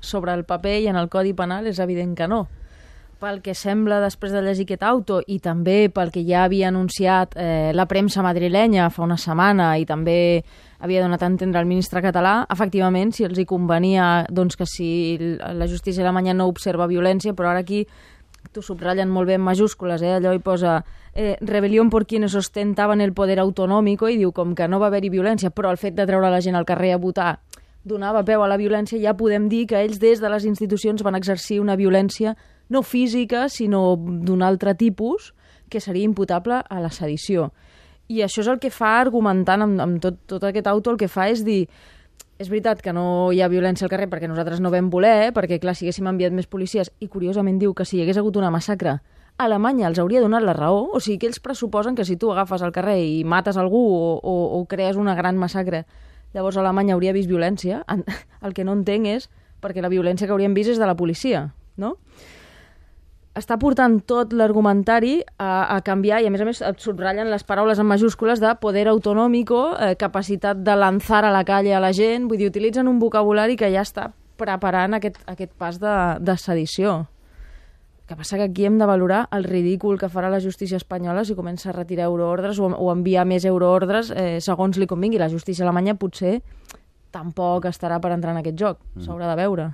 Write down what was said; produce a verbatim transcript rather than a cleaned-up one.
sobre el paper i en el Codi Penal és evident que no. Pel que sembla després de llegir aquest auto i també pel que ja havia anunciat eh, la premsa madrilenya fa una setmana i també havia donat a entendre el ministre català, efectivament, si els hi convenia doncs, que si la justícia alemanya no observa violència, però ara aquí t'ho subratllen molt bé en majúscules, eh? Allò hi posa eh, rebel·lió por quienes ostentaven el poder autonòmico i diu com que no va haver-hi violència, però el fet de treure la gent al carrer a votar donava peu a la violència, ja podem dir que ells des de les institucions van exercir una violència no física, sinó d'un altre tipus, que seria imputable a la sedició. I això és el que fa, argumentant amb, amb tot, tot aquest auto, el que fa és dir és veritat que no hi ha violència al carrer perquè nosaltres no vam voler, perquè clar, si haguéssim enviat més policies, i curiosament diu que si hi hagués hagut una massacre, Alemanya els hauria donat la raó, o sigui que ells pressuposen que si tu agafes al carrer i mates algú o, o, o crees una gran massacre, llavors Alemanya hauria vist violència. El que no entenc és perquè la violència que hauríem vist és de la policia, no? Està portant tot l'argumentari a, a canviar i, a més a més, et subratllen les paraules en majúscules de poder autonòmico, eh, capacitat de lanzar a la calle a la gent, vull dir, utilitzen un vocabulari que ja està preparant aquest, aquest pas de, de sedició. El que passa que aquí hem de valorar el ridícul que farà la justícia espanyola si comença a retirar euroordres o, o enviar més euroordres eh, segons li convingui. La justícia alemanya potser tampoc estarà per entrar en aquest joc, s'haurà de veure.